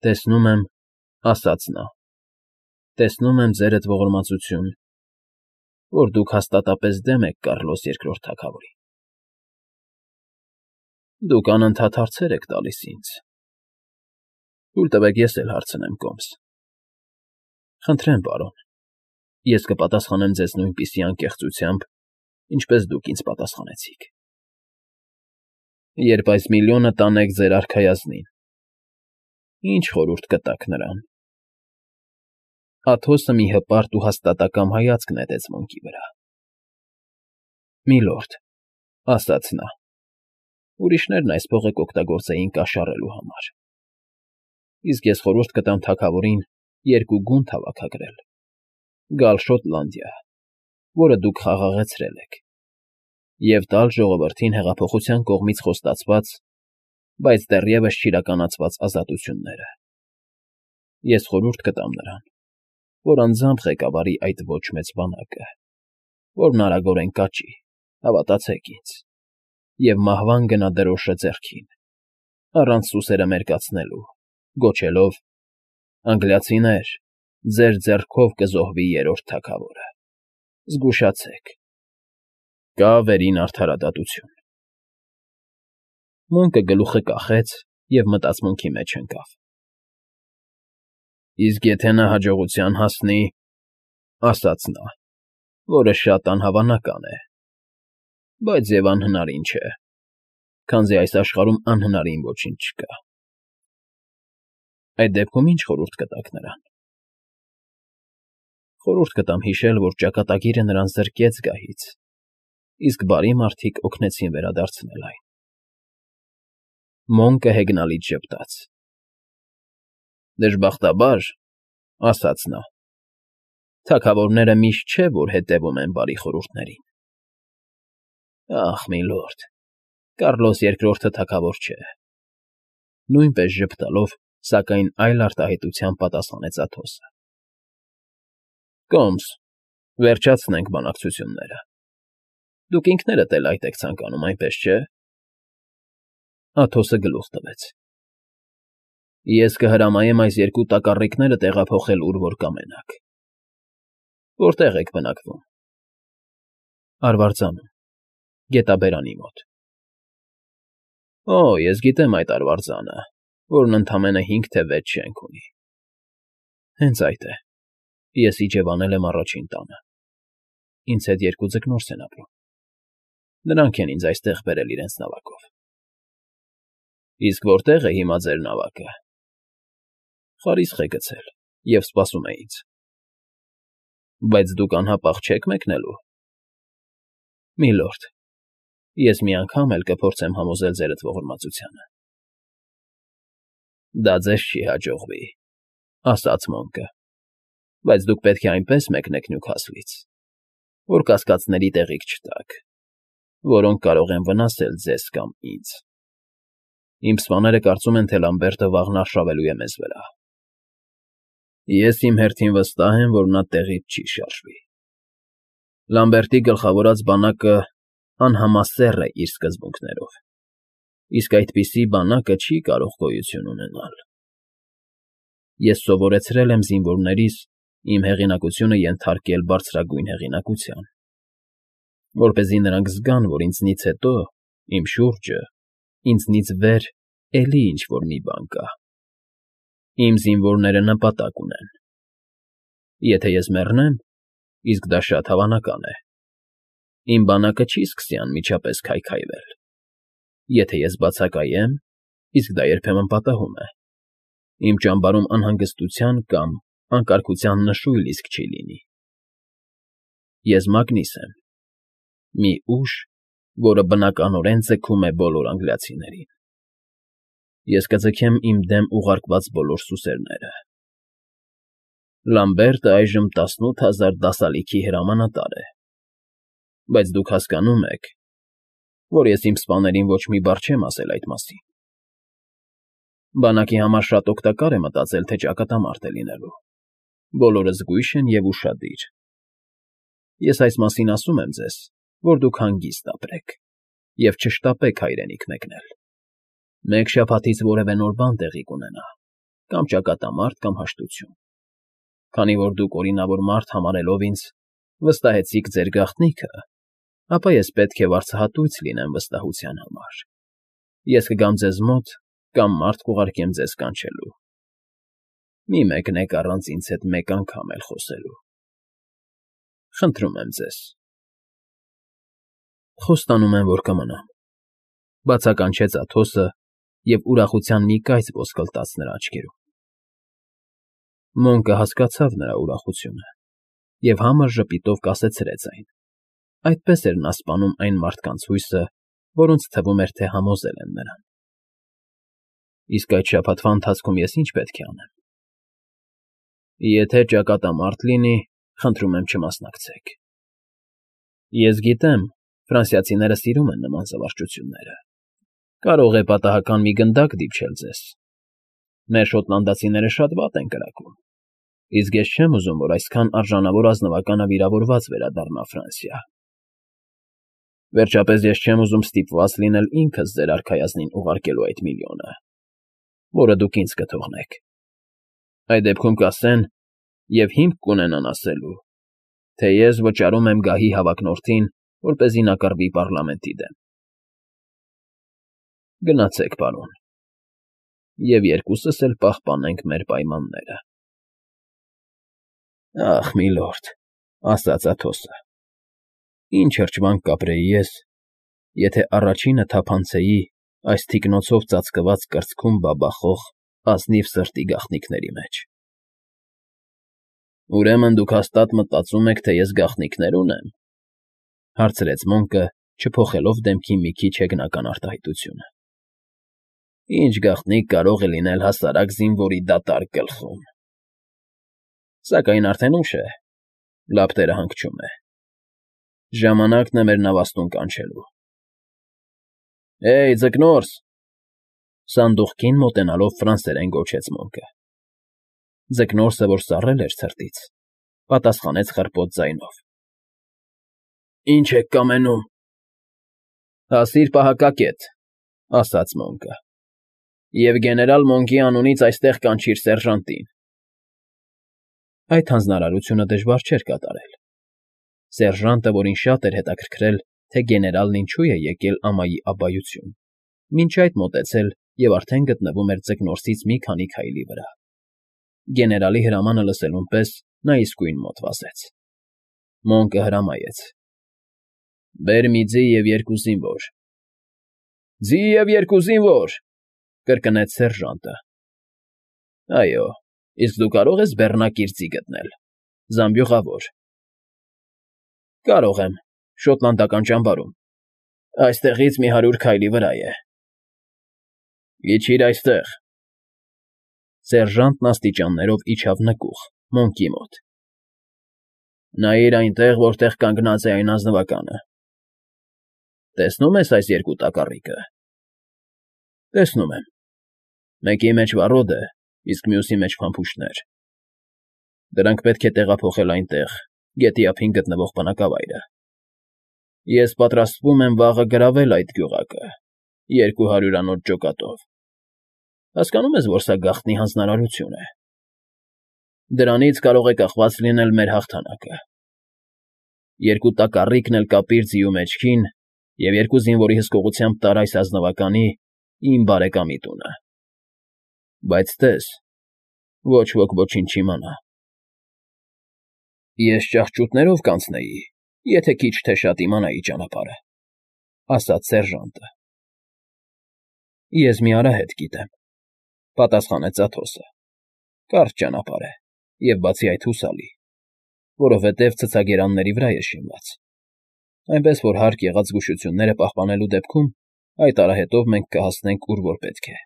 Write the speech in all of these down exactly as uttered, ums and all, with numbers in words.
Տեսնում եմ,֊ ասաց նա,֊ տեսնում եմ ձերդ ողորմածություն, որ դուք հաստատապես դեմ եք Կառլոս Երկրորդ թագավորին… Դուք անընդհատ հարցեր եք տալիս ինձ, թույլ տվեք ես էլ հարցնեմ կոմս… Խնդրեմ, պարոն, ես կպատասխանեմ ձեզ նույնպիսի անկեղծությամբ, ինչպես դուք ինձ պատասխանեցիք… Երբ այս միլիոնը տանեք ձեր արքայազնին, ի՞նչ խորհուրդ կտաք նրան… Աթոսը մի հպարտ ու հաստատակամ հայացք նետեց Մոնկի վրա։ ֊ Միլորդ,֊ ասաց նա,֊ ուրիշներն այս փողը կօգտագործեին կաշառելու համար, իսկ ես խորհուրդ կտամ թագավորին երկու գունդ հավաքագրել՝ գալ Շոտլանդիա, որը դուք խաղաղեցրել եք, և տալ ժողովրդին հեղափոխության կողմից խոստացված, բայց դեռևս չիրականացված ազատությունները… Ես խորհուրդ կտամ նրան, որ անձամբ ղեկավարի այդ ոչ մեծ բանակը, որն արագորեն կաճի, հավատացեք ինձ, և մահվան գնա դրոշը ձեռքին, առանց սուսերը մերկացնելու, գոչելով. «Անգլիացիներ, ձեր ձեռքով կզոհվի Երրորդ թագավորը… Զգուշացեք… Կա վերին արդարադատություն»։ Մոնկը գլուխը կախեց և մտածմունքի մեջ ընկավ։ «Իսկ եթե նա հաջողության հասնի,֊ ասաց նա,֊ որը շատ անհավանական է, բայց և անհնարին չէ, քանզի այս աշխարհում անհնարին ոչինչ չկա… Այդ դեպքում ի՞նչ խորհուրդ կտաք նրան»։ ֊ Խորհուրդ կտամ հիշել, որ ճակատագիրը նրան զրկեց գահից, իսկ բարի մարդիկ օգնեցին վերադարձնել այն… Մոնկը հեգնալից ժպտաց. «Դժբախտաբար,֊ ասաց նա,֊ թագավորները միշտ չէ, որ հետևում են բարի խորհուրդներին… Ախ, միլորդ, Կառլոս Երկրորդը թագավոր չէ…֊ նույնպես ժպտալով, սակայն այլ արտահայտությամբ պատասխանեց Աթոսը։ ֊ Կոմս, վերջացնենք բանակցությունները… Դուք ինքներդ էլ այդ եք ցանկանում, այնպես չէ՞… Աթոսը գլուխ տվեց։ ֊ Ես կհրամայեմ այս երկու տակառիկները տեղափոխել ուր որ կամենաք… Որտե՞ղ եք բնակվում։ ֊ Արվարձանում, գետաբերանի մոտ։ ֊ Օ, ես գիտեմ այդ արվարձանը, որն ընդամենը հինգ թե վեց շենք ունի… ֊ Հենց այդ է, ես իջևանել եմ առաջին տանը… Ինձ հետ երկու ձկնորս են ապրում… Նրանք են ինձ այստեղ բերել իրենց նավակով։ ֊ Իսկ որտե՞ղ է հիմա ձեր նավակը։ ֊ Խարիսխ է գցել և սպասում է ինձ։ ֊ Բայց դուք անհապաղ չե՞ք մեկնելու։ ֊ Միլորդ, ես մի անգամ էլ կփորձեմ համոզել ձերդ ողորմածությանը… ֊ Դա ձեզ չի հաջողվի,֊ ասաց Մոնկը,֊ բայց դուք պետք է այնպես մեկնեք Նյուքասլից, որ կասկածների տեղիք չտաք, որոնք կարող են վնասել ձեզ կամ ինձ… Իմ սպաները կարծում են, թե Լամբերտը վաղն արշավելու է մեզ վրա… Ես իմ հերթին վստահ եմ, որ նա տեղից չի շարժվի… Լամբերտի գլխավորած բանակը անհամասեռ է իր սկզբունքներով, իսկ այդպիսի բանակը չի կարող գոյություն ունենալ… Ես սովորեցրել եմ զինվորներիս իմ հեղինակությունը ենթարկել բարձրագույն հեղինակության, որպեսզի նրանք զգան, որ ինձնից հետո, իմ շուրջը, ինձնից վեր էլի ինչ֊որ մի բան կա… Իմ զինվորները նպատակ ունեն… Եթե ես մեռնեմ, իսկ դա շատ հավանական է, իմ բանակը չի սկսի անմիջապես քայքայվել… Եթե ես բացակայեմ, իսկ դա երբեմն պատահում է, իմ ճամբարում անհանգստության կամ անկարգության նշույլ իսկ չի լինի… Ես Մագնիս եմ, մի ուժ, որը բնականորեն ձգում է բոլոր անգլիացիներին… Ես կձգեմ իմ դեմ ուղարկված բոլոր սուսերները… Լամբերտը այժմ տասնութ հազար դասալիքի հրամանատար է… Բայց դուք հասկանում եք, որ ես իմ սպաներին ոչ մի բառ չեմ ասել այդ մասին… Բանակի համար շատ օգտակար է մտածել, թե ճակատամարտ է լինելու… Բոլորը զգույշ են և ուշադիր… Ես այս մասին ասում եմ ձեզ, որ դուք հանգիստ ապրեք և չշտապեք հայրենիք մեկնել… Մեկ շաբաթից որևէ նոր բան տեղի կունենա, կամ ճակատամարտ, կամ հաշտություն։ Քանի որ դուք օրինավոր մարդ համարելով ինձ վստահեցիք ձեր գաղտնիքը, ապա ես պետք է վարձահատույց լինեմ վստահության համար։ Ես կգամ ձեզ մոտ կամ մարդ կուղարկեմ ձեզ կանչելու։ Մի մեկնեք առանց ինձ հետ մեկ անգամ էլ խոսելու։ Խնդրում եմ ձեզ։ Խոստանում եմ, որ կմնամ,֊ բացականչեց Աթոսը և ուրախության մի կայծ ոսկլտաց նրա աչքերում։ Մոնկը հասկացավ նրա ուրախությունը և համր ժպիտով կասեցրեց այն. այդպես էր նա սպանում այն մարդկանց հույսը, որոնց թվում էր, թե համոզել են նրան։ Իսկ այդ շաբաթվա ընթացքում ես ի՞նչ պետք է անեմ։ Եթե ճակատամարտ լինի, խնդրում եմ չմասնակցեք։ Ես գիտեմ, ֆրանսիացիները սիրում են նման զվարճությունները։ Կարող է պատահական մի գնդակ դիպչել ձեզ։ Մեր շոտլանդացիները շատ վատ են կրակում, իսկ ես չեմ ուզում, որ այսքան արժանավոր ազնվականը վիրավորված վերադառնա Ֆրանսիա։ Վերջապես ես չեմ ուզում ստիպված լինել ինքս ձեր արքայազնին ուղարկելու այդ միլիոնը, որը դուք ինձ կթողնեք։ Այդ դեպքում կասեն և հիմք կունենան ասելու, թե ես վճարում եմ գահի հավակնորդին, որպեսզի նա կռվի պառլամենտի դեմ։ Գնացեք, պարոն, և երկուսս էլ պահպանենք մեր պայմանները։ Ախ, միլորդ,֊ ասաց Աթոսը,֊ ինչ հրճվանք կապրեի ես, եթե առաջինը թափանցեի այս թիկնոցով ծածկված կրծքում բաբախող ազնիվ սրտի գաղտնիքների մեջ։ Ուրեմն դուք հաստատ մտածում եք, թե ես գաղտնիքներ ունեմ,֊ հարցրեց Մոնկը, չփոխելով դեմքի մի քիչ հեգնական արտահայտությունը։ Ինչ գաղտնիք կարող է լինել հասարակ զինվորի դատարկ գլխում։ Սակայն արդեն ուշ է, լապտերը հանգչում է։ Ժամանակն է մեր նավաստուն կանչելու։ Հեյ, ձկնորս,֊ սանդուղքին մոտենալով ֆրանսերեն գոչեց Մոնկը։ Ձկնորսը, որ սառել էր ցրտից, պատասխանեց խռպոտ ձայնով. Ինչ եք կամենում։ Հասիր պահակակետ,֊ ասաց Մոնկը,֊ և գեներալ Մոնկի անունից այստեղ կանչիր սերժանտին։ Այդ հանձնարարությունը դժվար չէր կատարել։ Սերժանտը, որին շատ էր հետաքրքրել, թե գեներալն ինչու է եկել ամայի աբբայություն, մինչ այդ մոտեցել և արդեն գտնվում էր ձկնորսից մի քանի քայլի վրա։ Գեներալի հրամանը լսելուն պես նա իսկույն մոտ վազեց։ Մոնկը հրամայեց. Բեր մի ձի և երկու զինվոր։ Ձի և երկու զինվոր,֊ կրկնեց սերժանտը։ Այո, իսկ դու կարող ես բեռնակիր ձի գտնել, զամբյուղավոր։ Կարող եմ, շոտլանդական ճամբարում, այստեղից մի հարյուր քայլի վրա է։ Իջիր այստեղ։ Սերժանտն աստիճաններով իջավ նկուղ, Մոնկի մոտ։ Նայիր այնտեղ, որտեղ կանգնած է այն ազնվականը։ Տեսնո՞ւմ ես այս երկու տակառիկը։ Տեսնում եմ։ Մեկի մեջ վառոդ է, իսկ մյուսի մեջ փամփուշտներ։ Դրանք պետք է տեղափոխել այնտեղ, գետի ափին գտնվող բնակավայրը։ Ես պատրաստվում եմ վաղը գրավել այդ գյուղակը երկու հարյուրանոց ջոկատով։ Հասկանո՞ւմ ես, որ սա գաղտնի հանձնարարություն է։ Դրանից կարող է կախված լինել մեր հաղթանակը։ Երկու տակառիկն էլ կապիր ձիու մեջքին և երկու զինվորի հսկողությամբ տար այս ազնվականի իմ բարեկամի տունը։ Բայց տես, ոչ ոք ոչինչ չիմանա։ Ես ճահճուտներով կանցնեի, եթե քիչ թե շատ իմանայի ճանապարհը,֊ ասաց սերժանտը։ Ես մի արահետ գիտեմ,֊ պատասխանեց Աթոսը։ Կարճ ճանապարհ է և բացի այդ հուսալի, որովհետև ցցագերանների վրա է շինված, այնպես որ հարկ եղած զգուշությունները պահպանելու դեպքում այդ արահետով մենք կհասնենք, ուր որ պետք է։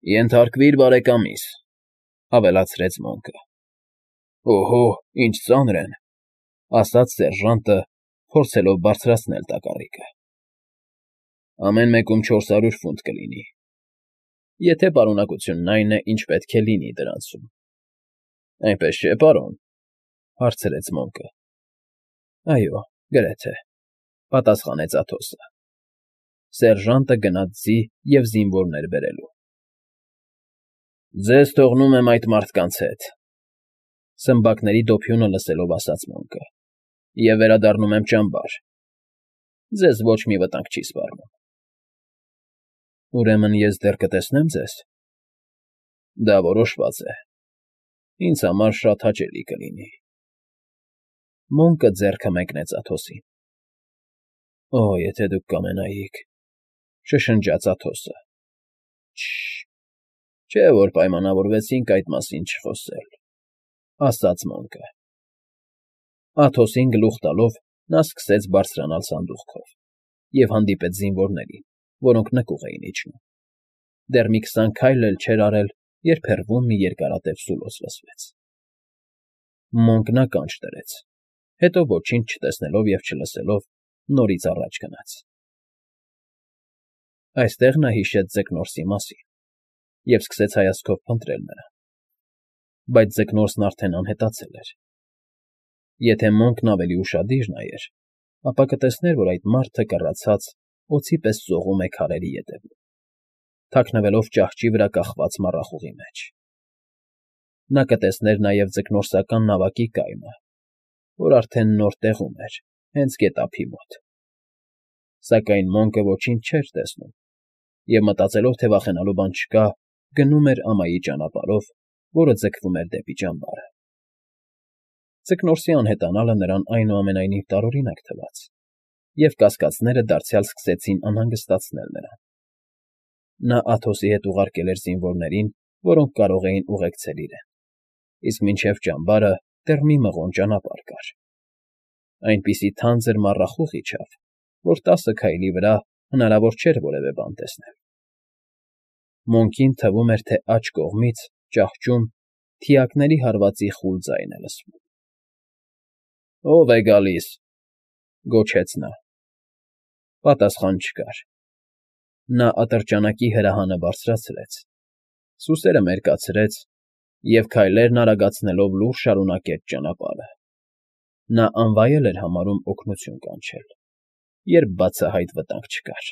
Ենթարկվիր բարեկամիս,֊ ավելացրեց Մոնկը։ Օհո, ինչ ծանր են,֊ ասաց սերժանտը, փորձելով բարձրացնել տակառիկը։ Ամեն մեկում չորս հարյուր ֆունտ կլինի, եթե պարունակությունն այն է, ինչ պետք է լինի դրանցում։ Այնպես չէ՞, պարոն,֊ հարցրեց Մոնկը։ Այո, գրեթե,֊ պատասխանեց Աթոսը։ Սերժանտը գնաց ձի և զինվորներ բերելու։ Ձեզ թողնում եմ այդ մարդկանց հետ,֊ սմբակների դոփյունը լսելով ասաց Մոնկը,֊ և վերադառնում եմ ճամբար. ձեզ ոչ մի վտանգ չի սպառնում։ Ուրեմն ես դեռ կտեսնե՞մ ձեզ։ Դա որոշված է, ինձ համար շատ հաճելի կլինի։ Մոնկը ձեռքը մեկնեց Աթոսին։ Օ, եթե դուք կամենայիք,֊ շշնջաց Աթոսը։ Չը՛շ, չէ՞ որ պայմանավորվեցինք այդ մասին չխոսել,֊ ասաց Մոնկը։ Աթոսին գլուխ տալով նա սկսեց բարձրանալ սանդուղքով և հանդիպեց զինվորներին, որոնք նկուղ էին իջնում։ Դեռ մի քսան քայլ էլ չէր արել, երբ հեռվում մի երկարատև սուլոց լսվեց։ Մոնկն ականջ դրեց, հետո ոչինչ չտեսնելով և չլսելով նորից առաջ գնաց։ Այստեղ նա հիշեց Ձկնորսի մասին և սկսեց հայացքով փնտրել նրան։ Բայց Ձկնորսն արդեն անհետացել էր։ Եթե Մոնկն ավելի ուշադիր նայեր, ապա կտեսներ, որ այդ մարդը, կռացած, օձի պես ծողում է քարերի ետևում, թաքնվելով ճահճի վրա կախված մառախուղի մեջ։ Նա կտեսներ նաև ձկնորսական նավակի կայմը, որ արդեն նոր տեղում էր, հենց գետափի մոտ։ Սակայն Մոնկը ոչինչ չէր տեսնում և, մտածելով, թե վախենալու բան չկա, գնում էր ամայի ճանապարհով, որը ձգվում էր դեպի ճամբարը։ Ձկնորսի անհետանալը նրան այնուամենայնիվ տարօրինակ թվաց, և կասկածները դարձյալ սկսեցին անհանգստացնել նրան։ Նա Աթոսի հետ ուղարկել էր զինվորներին, որոնք կարող էին ուղեկցել իրեն, իսկ մինչև ճամբարը դեռ մի մղոն ճանապարհ կար։ Այնպիսի թանձր մառախուղ իջավ, որ տասը քայլի վրա հնարավոր չէր որևէ բան տեսնել։ Մոնկին թվում էր, թե աջ կողմից, ճահճում, թիակների հարվածի խուլ ձայն է լսվում։ ո՞վ է գալիս,֊ գոչեց նա։ Պատասխան չկար։ Նա ատրճանակի հրահանը բարձրացրեց, սուսերը մերկացրեց և քայլերն արագացնելով լուռ շարունակեց ճանապարհը։ Նա անվայել էր համարում օգնություն կանչել, երբ բացահայտ վտանգ չկար։